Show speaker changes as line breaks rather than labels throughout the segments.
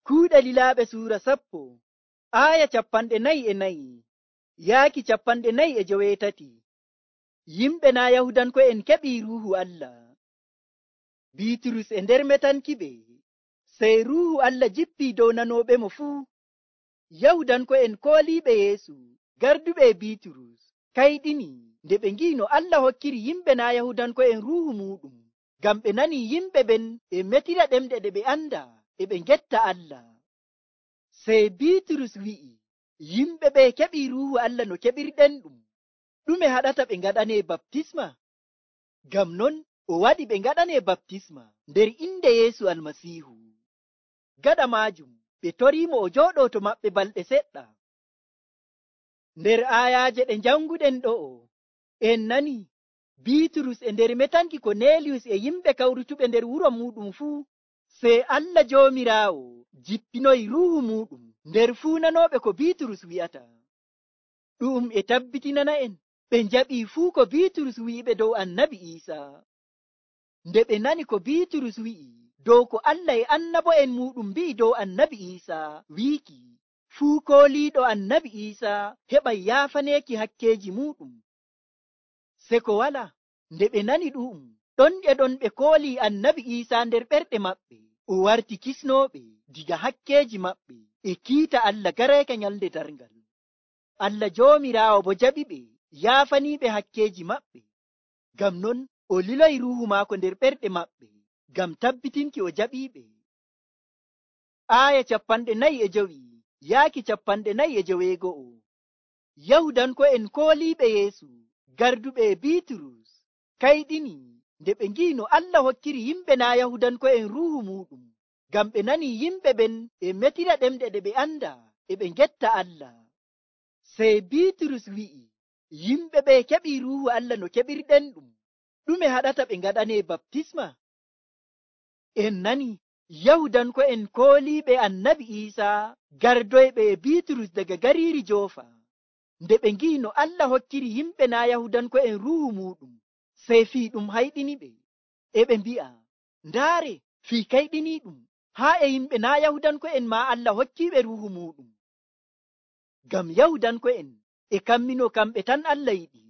Kuuɗe Lilaaɓe suura 10 aaya 44 yaaki 48. Yimɓe naa Yahudanko'en keɓii Ruuhu Allah. Biiturus e nder metankiɓe, sey Ruuhu Allah jippii dow nanooɓemo fuu. Yahudanko'en kooliiɓe Yeesu, garduɓe e Biiturus, kayɗini nde ɓe ngi'i no Allah hokkiri yimɓe naa Yahudanko'en Ruuhu muuɗum, ngam ɓe nanii yimɓe ɓen e metira ɗemɗe ɗe ɓe andaa e ɓe ngetta Allah. Sey Biiturus wi'i, yimɓe ɓe keɓii Ruuhu Allah no keɓirɗen ɗum. Ɗume haɗata ɓe ngaɗanee baptisma? Ngam non o waɗi ɓe ngaɗanee baptisma nder inde Yeesu Almasiihu. Gaɗa maajum ɓe toriimo o jooɗoo to maɓɓe balɗe seɗɗa. Nder aayaaje ɗe njanguɗen ɗo'o, en nani Biiturus e nder metanki Koneeliyus e yimɓe kawrutuɓe nder wuro muuɗum fuu, sey Allah Joomiraawo jippinoyi Ruuhu muuɗum nder fuu nanooɓe ko Biiturus wi'ata. Ɗum e tabbitinana'en ɓe njaɓii fuu ko Biiturus wi'iɓe dow Annabi Iisaa. Nde ɓe nani ko Biiturus wi'i dow ko Allah e annabo'en muuɗum mbi'i dow Annabi Iisaa, wiiki fuu kooliiɗo Annabi Iisaa heɓay yaafaneeki hakkeeji muuɗum. Se ko wala, nde ɓe nani ɗu'um, ɗon e ɗon ɓe koolii Annabi Iisaa nder ɓerɗe maɓɓe, o warti kisnooɓe diga hakkeeji maɓɓe e kiita Allah gareeka nyalnde darngal. Allah Joomiraawo bo jaɓiɓe yaafaniiɓe hakkeeji maɓɓe. Ngam non o liloyi Ruuhu maako nder ɓerɗe maɓɓe, ngam tabbitinki o jaɓiiɓe. Aaya 45 yaaki 49. Yahudanko'en kooliiɓe Yeesu, garduɓe e Biiturus, kayɗini nde ɓe ngi'i no Allah hokkiri yimɓe naa Yahudanko'en Ruuhu muuɗum, ngam ɓe nanii yimɓe ɓen e metira ɗemɗe ɗe ɓe andaa e ɓe ngetta Allah. Sey Biiturus wi'i, yimɓe ɓe keɓii Ruuhu Allah no keɓirɗen ɗum. Ɗume haɗata ɓe ngaɗanee baptisma? En nani Yahudanko'en kooliiɓe Annabi Iisaa gardoyɓe e Biiturus daga gariiri Joofa. Nde ɓe ngi'i no Allah hokkiri yimɓe naa Yahudanko'en Ruuhu muuɗum, sey fii ɗum hayɗiniɓe, e ɓe mbi'a, ndaare, fii kayɗiniiɗum, haa e yimɓe naa Yahudanko'en maa Allah hokkiiɓe Ruuhu muuɗum. Ngam Yahudanko'en e kamminoo kamɓe tan Allah yiɗi,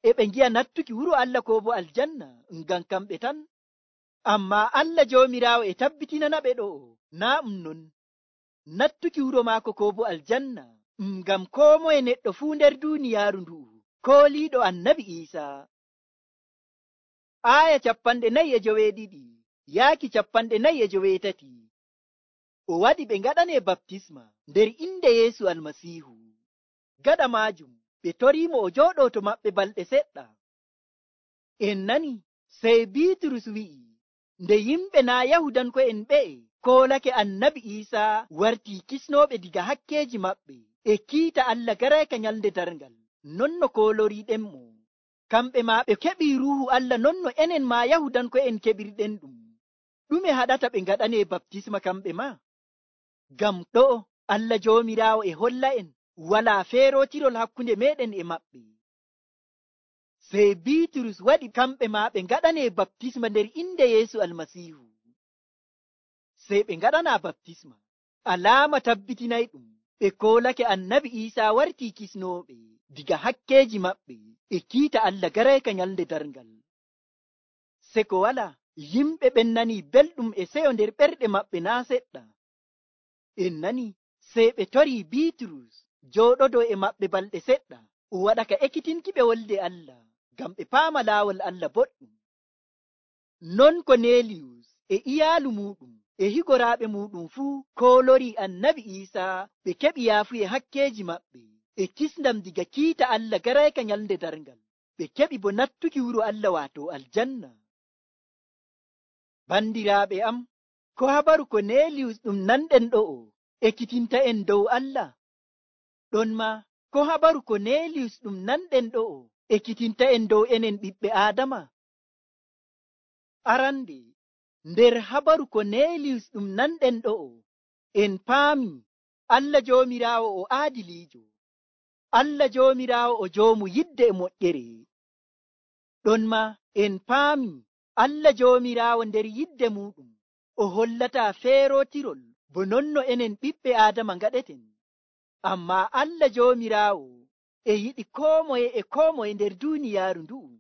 e ɓe ngi'a nattuki wuro Allah koo bo aljanna ngam kamɓe tan. Ammaa Allah Joomiraawo e tabbitinanaɓe ɗo'o, naa ɗum non. Nattuki wuro maako koo bo aljanna ngam koo moye neɗɗo fuu nder duuniyaaru ndu'u kooliiɗo Annabi Iisaa. Aaya 42 yaaki 43. O waɗi ɓe ngaɗanee baptisma nder inde Yeesu Almasiihu. Gaɗa maajum ɓe toriimo o jooɗoo to maɓɓe balɗe seɗɗa. En nani sey Biiturus wi'i, nde yimɓe naa Yahudanko'en ɓe'e koolake Annabi Iisaa wartii kisnooɓe diga hakkeeji maɓɓe e kiita Allah gareeka nyalnde darngal, non no kooloriiɗenmo. Kamɓe maa ɓe keɓii Ruuhu Allah non no enen maa Yahudanko'en keɓirɗen ɗum. Ɗume haɗata ɓe ngaɗanee baptisma kamɓe maa? Ngam ɗo'o Allah Joomiraawo e holla'en walaa feerootirol hakkunde meeɗen e maɓɓe. Sey Biiturus waɗi kamɓe maa ɓe ngaɗanee baptisma nder inde Yeesu Almasiihu. Sey ɓe ngaɗanaa baptisma, alaama tabbitinay ɗum ɓe koolake Annabi Iisaa wartii kisnooɓe diga hakkeeji maɓɓe e kiita Allah gareeka nyalnde darngal. Se ko wala, yimɓe ɓen nanii belɗum e seyo nder ɓerɗe maɓɓe naa seɗɗa. En nani sey ɓe torii Biiturus jooɗodoo e maɓɓe balɗe seɗɗa, o waɗa ka ekkitinkiɓe wolde Allah, ngam ɓe paama laawol Allah boɗɗum. Non Koneeliyus e iyaalu muuɗum e higoraaɓe muuɗum fuu koolorii Annabi Iisaa ɓe keɓi yaafuye hakkeeji maɓɓe e kisndam diga kiita Allah gareeka nyalnde darngal. Ɓe keɓi bo nattuki wuro Allah waato aljanna. Bandiraaɓe am, ko habaru Koneeliyus ɗum nanɗen ɗo'o ekkitinta en dow Allah? Ɗon maa ko habaru Koneeliyus ɗum nanɗen ɗo'o ekkitinta en dow enen ɓiɓɓe Aadama? Arande, nder habaru Koneeliyus ɗum nanɗen ɗo'o, en paami Allah Joomiraawo o aadiliijo. Allah Joomiraawo o joomu yidde e moƴƴere. Ɗon maa en paami Allah Joomiraawo nder yidde muuɗum o hollataa feerootirol bo nonno enen ɓiɓɓe Aadama ngaɗeten. Ammaa Allah Joomiraawo e yiɗi koo moye nder duuniyaaru ndu'u.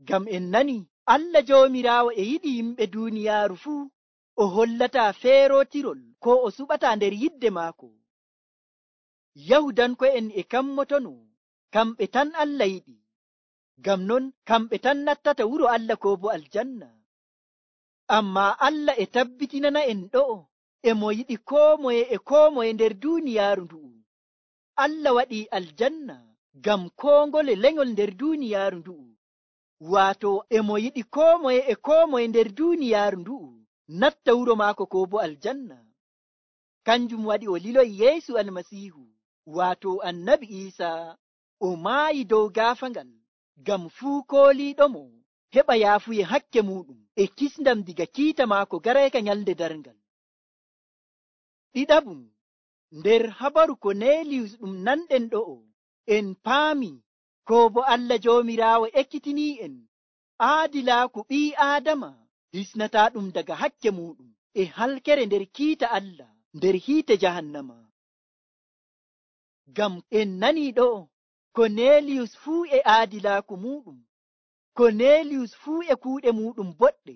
Ngam en nani Allah Joomiraawo e yiɗi yimɓe duuniyaaru fuu o hollataa feerootirol ko o suɓataa nder yidde maako. Yahudanko'en e kammotono kamɓe tan Allah yiɗi. Ngam non kamɓe tan nattata wuro Allah koo bo aljanna. Ammaa Allah e tabbitinana en ɗo'o e mo yiɗi koo moye nder duuniyaaru ndu'u. Allah waɗii aljanna ngam koo ngole lenyol nder duuniyaaru ndu'u. Waato e mo yiɗi koo moye nder duuniyaaru ndu'u natta wuro maako koo bo aljanna. Kanjum waɗi o liloyi Yeesu Almasiihu, waato Annabi Iisaa, o maayi dow gaafangal ngam fuu kooliiɗomo heɓa yaafuye hakke muuɗum e kisndam diga kiita maako garayka nyalnde darngal. Ɗiɗaɓum, nder habaru Koneeliyus ɗum nanɗen ɗo'o, en paami koo bo Allah Joomiraawo ekkitinii'en aadilaaku ɓii Aadama hisnataa ɗum daga hakke muuɗum e halkere nder kiita Allah nder hiite jahannama. Ngam en nanii ɗo'o Koneeliyus fuu e aadilaaku muuɗum, Koneeliyus fuu e kuuɗe muuɗum boɗɗe.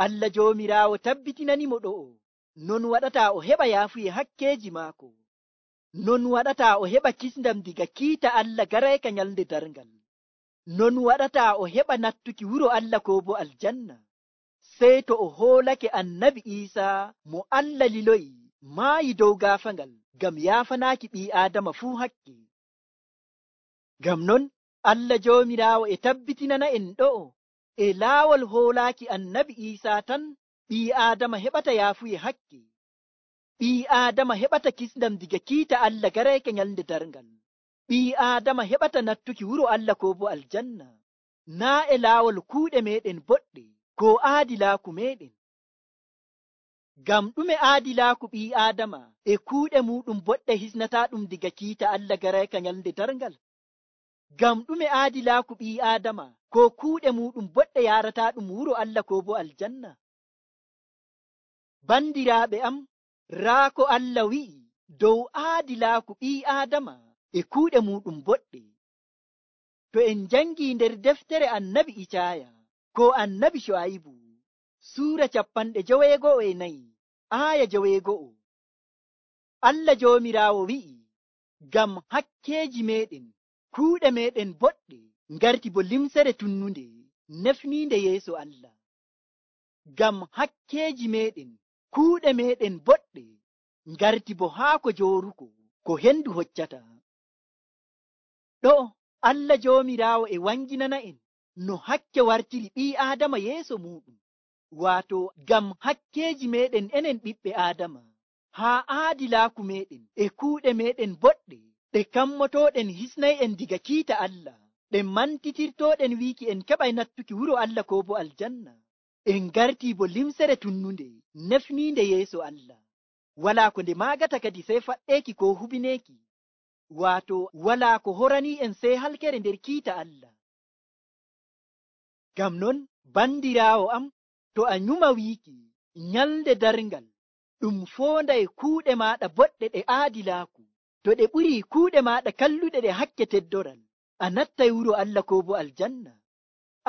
Allah Joomiraawo tabbitinanimo ɗo'o, non waɗataa o heɓa yaafuye hakkeeji maako, non waɗataa o heɓa kisndam diga kiita Allah garayka nyalnde darngal, non waɗataa o heɓa nattuki wuro Allah koo bo aljanna, sey to o hoolake Annabi Iisaa mo Allah liloyi maayi dow gaafangal ngam yaafanaaki ɓii Aadama fuu hakke. Ngam non Allah Joomiraawo e tabbitinana en ɗo'o e laawol hoolaaki Annabi Iisaa tan ɓii Aadama heɓata yaafuye hakke, ɓii Aadama heɓata kisndam diga kiita Allah garayka nyalnde darngal, ɓii Aadama heɓata nattuki wuro Allah koo bo aljanna, naa e laawol kuuɗe meeɗen boɗɗe koo aadilaaku meeɗen. Ngam ɗume aadilaaku ɓii Aadama e kuuɗe muuɗum boɗɗe hisnataa ɗum diga kiita Allah garayka nyalnde darngal? Ngam ɗume aadilaaku ɓii Aadama koo kuuɗe muuɗum boɗɗe yaarataa ɗum wuro Allah koo bo aljanna? Bandiraaɓe am, raa ko Allah wi'i dow aadilaaku ɓii Aadama e kuuɗe muuɗum boɗɗe. To en njangii nder deftere Annabi Icaaya koo Annabi Shu'aybu, Suura 54 aaya 9, Allah Joomiraawo wi'i, ngam hakkeeji meeɗen kuuɗe meeɗen boɗɗe ngarti bo limsere tunnunde nefniinde yeeso Allah. Ngam hakkeeji meeɗen kuuɗe meeɗen boɗɗe ngarti bo haako jooruko ko hendu hoccata. Ɗo Allah Joomiraawo e wanginana en no hakke wartiri ɓii Aadama yeeso muuɗum, waato ngam hakkeeji meeɗen enen ɓiɓɓe Aadama, haa aadilaaku meeɗen e kuuɗe meeɗen boɗɗe ɗe kammotooɗen hisnay'en diga kiita Allah, ɗe mantitirtooɗen wiiki en keɓay nattuki wuro Allah koo bo aljanna, en ngartii bo limsere tunnunde nefniinde yeeso Allah. Walaa ko nde maagata kadi sey faɗɗeeki koo hubineeki, waato walaa ko horanii en sey halkere nder kiita Allah. Ngam non bandiraawo am, to a nyuma wiiki nyalnde darngal ɗum foonday kuuɗe maaɗa boɗɗe ɗe aadilaaku, to ɗe ɓurii kuuɗe maaɗa kalluɗe ɗe hakke teddoral, a nattay wuro Allah koo bo aljanna.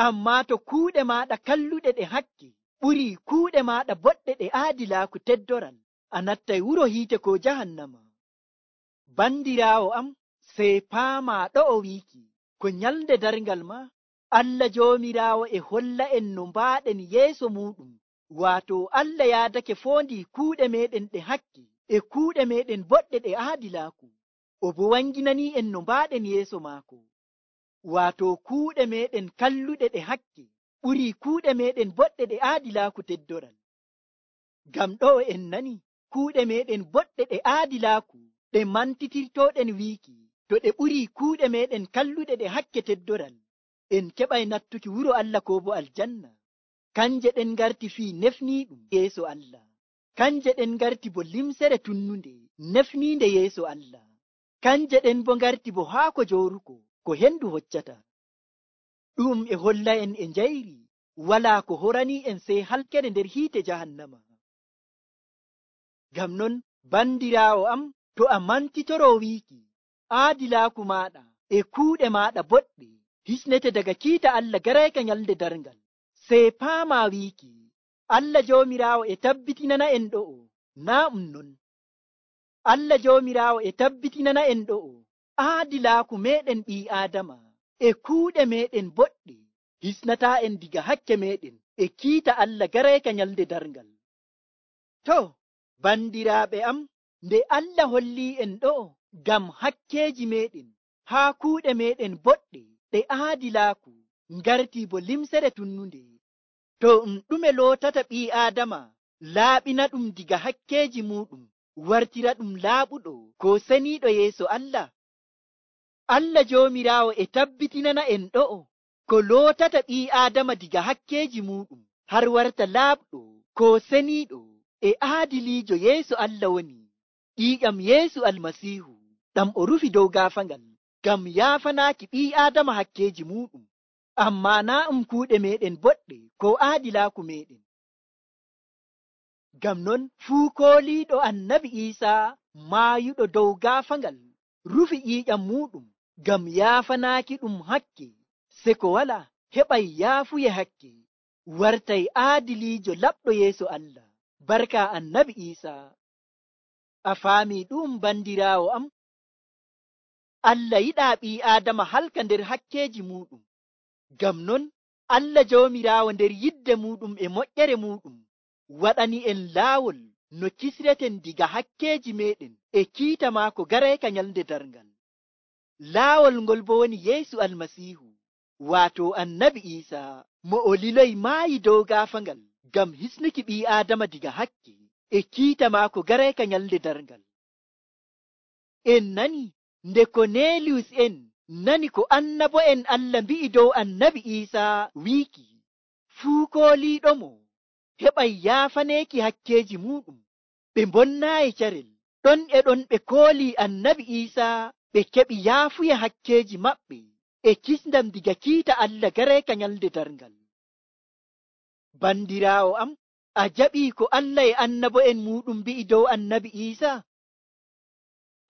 Ammaa to kuuɗe maaɗa kalluɗe ɗe hakke ɓurii kuuɗe maaɗa boɗɗe ɗe aadilaaku teddoral, a nattay wuro hiite koo jahannama. Bandiraawo am, sey paamaa ɗo'o wiiki ko nyalnde darngal ma Allah Joomiraawo e holla en no mbaaɗen yeeso muuɗum, waato Allah yaadake foondi kuuɗe meeɗen ɗe hakke e kuuɗe meeɗen boɗɗe ɗe aadilaaku, o bo wanginanii en no mbaaɗen yeeso maako, waato kuuɗe meeɗen kalluɗe ɗe hakke ɓurii kuuɗe meeɗen boɗɗe ɗe aadilaaku teddoral. Ngam ɗo'o en nani kuuɗe meeɗen boɗɗe ɗe aadilaaku ɗe mantitirtooɗen wiiki to ɗe ɓurii kuuɗe meeɗen kalluɗe ɗe hakke teddoral, en keɓay nattuki wuro Allah koo bo aljanna. Kanje ɗen ngarti fii nefniiɗum yeeso Allah, kanje ɗen ngarti bo limsere tunnunde nefniinde yeeso Allah, kanje ɗen bo ngarti bo haako jooruko ko hendu hoccata. Ɗum e holla en e njayri walaa ko horanii en sey halkere nder hiite jahannama. Ngam non bandiraawo am, to a mantitoroo wiiki aadilaaku maaɗa e kuuɗe maaɗa boɗɗe hisnete daga kiita Allah garayka nyalde darngal, sey paamaa wiiki Allah Joomiraawo e tabbitinana en ɗo'o naa non. Allah Joomiraawo e tabbitinana en ɗo'o aadilaaku meeɗen ɓii Aadama e kuuɗe meeɗen boɗɗe hisnataa en diga hakke meeɗen e kiita Allah garayka nyalde darngal. To, bandiraaɓe am, nde Allah hollii en ɗo'o ngam hakkeeji meeɗen haa kuuɗe meeɗen boɗɗe ɗe aadilaaku ngartii bo limsere tunnunde, to ɗume lootata ɓii Aadama laaɓina ɗum diga hakkeeji muuɗum wartira ɗum laaɓuɗo ko seniiɗo yeeso Allah? Allah Joomiraawo e tabbitinana en ɗo'o ko lootata ɓii Aadama diga hakkeeji muuɗum har warta laaɓɗo ko seniiɗo e aadiliijo yeeso Allah woni ƴiiƴam Yeesu Almasiihu, ɗam o rufi dow gaafangal ngam yaafanaaki ɓii Aadama hakkeeji muuɗum, ammaa naa kuuɗe meeɗen boɗɗe ko aadilaaku meeɗen. Ngam non fuu kooliiɗo Annabi Iisaa maayuɗo dow gaafangal rufi ƴiiƴam muuɗum ngam yaafanaaki ɗum hakke, se ko wala heɓay yaafuye hakke, wartay aadiliijo laɓɗo yeeso Allah barka Annabi Iisaa. A faamii ɗum bandiraawo am? Allah yiɗaa ɓii Aadama halka nder hakkeeji muuɗum. Ngam non Allah Joomiraawo nder yidde muuɗum e moƴƴere muuɗum waɗani en laawol no kisreten diga hakkeeji meeɗen e kiita maako garayka nyalde darngal. Laawol ngol bo woni Yeesu Almasiihu, waato Annabi Iisaa, mo o liloyi maayi dow gaafangal ngam hisnuki ɓii Aadama diga hakke e kiita maako garayka nyalde darngal. En nani nde Koneeliyus en nani ko annabo'en Allah mbi'i dow Annabi Iisaa wiiki fuu kooliiɗomo heɓay yaafaneeki hakkeeji muuɗum, ɓe mbonnaayi carel, ɗon e ɗon ɓe koolii Annabi Iisaa ɓe keɓi yaafuya hakkeeji maɓɓe e kisndam diga kiita Allah garayka nyalde darngal. Bandiraawo am, a jaɓii ko Allah e annabo'en muuɗum mbi'i dow Annabi Iisaa?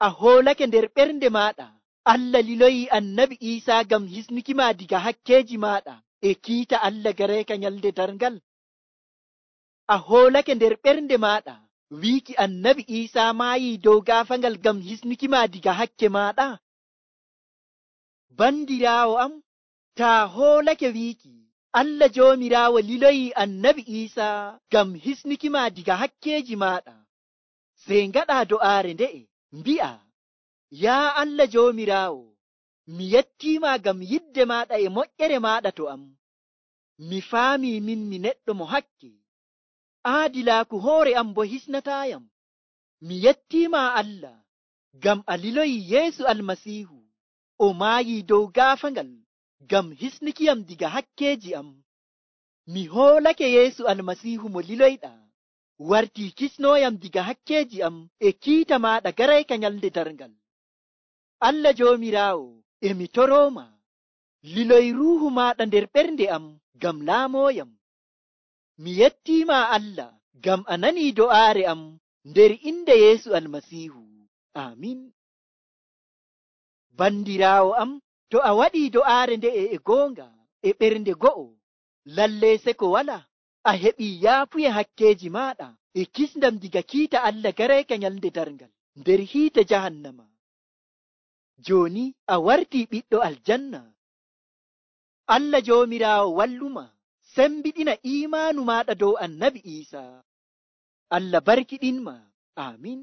A hoolake nder ɓernde maaɗa Allah liloyi Annabi Iisaa ngam hisnuki ma diga hakkeeji maaɗa e kiita Allah garayka nyalde darngal? A hoolake nder ɓernde maaɗa wiiki Annabi Iisaa maayii dow gaafangal ngam hisnuki ma diga hakke maaɗa? Bandiraawo am, taa hoolake wiiki Allah Joomiraawo liloyi Annabi Iisaa ngam hisnuki ma diga hakkeeji maaɗa, sey ngaɗaa do'aare nde'e mbi'a, yaa Allah Joomiraawo, mi yettiima ngam yidde maaɗa e moƴƴere maaɗa to am. Mi faamii min mi neɗɗo mo hakke, aadilaaku hoore am bo hisnataayam. Mi yettiima Allah ngam a liloyi Yeesu Almasiihu, o maayii dow gaafangal ngam hisnukiyam diga hakkeeji am. Mi hoolake Yeesu Almasiihu mo liloyɗaa wartii kisnooyam diga hakkeeji am e kiita maaɗa garayka nyalde darngal. Allah Joomiraawo, e mi torooma, liloy ruuhu maaɗa nder ɓernde am ngam laamooyam. Mi yettiima Allah ngam a nanii do'aare am nder inde Yeesu Almasiihu. Aamin. Bandiraawo am, to a waɗii do'aare nde'e e goonga e ɓernde go'o, lallee se ko wala a heɓii yaafuye hakkeeji maaɗa e kisndam diga kiita Allah garayka nyalde darngal nder hiite jahannama. Jooni a wartii ɓiɗɗo aljanna. Allah Joomiraawo walluma sembiɗina iimaanu maaɗa dow Annabi Iisaa. Allah barkiɗinma. Aamin.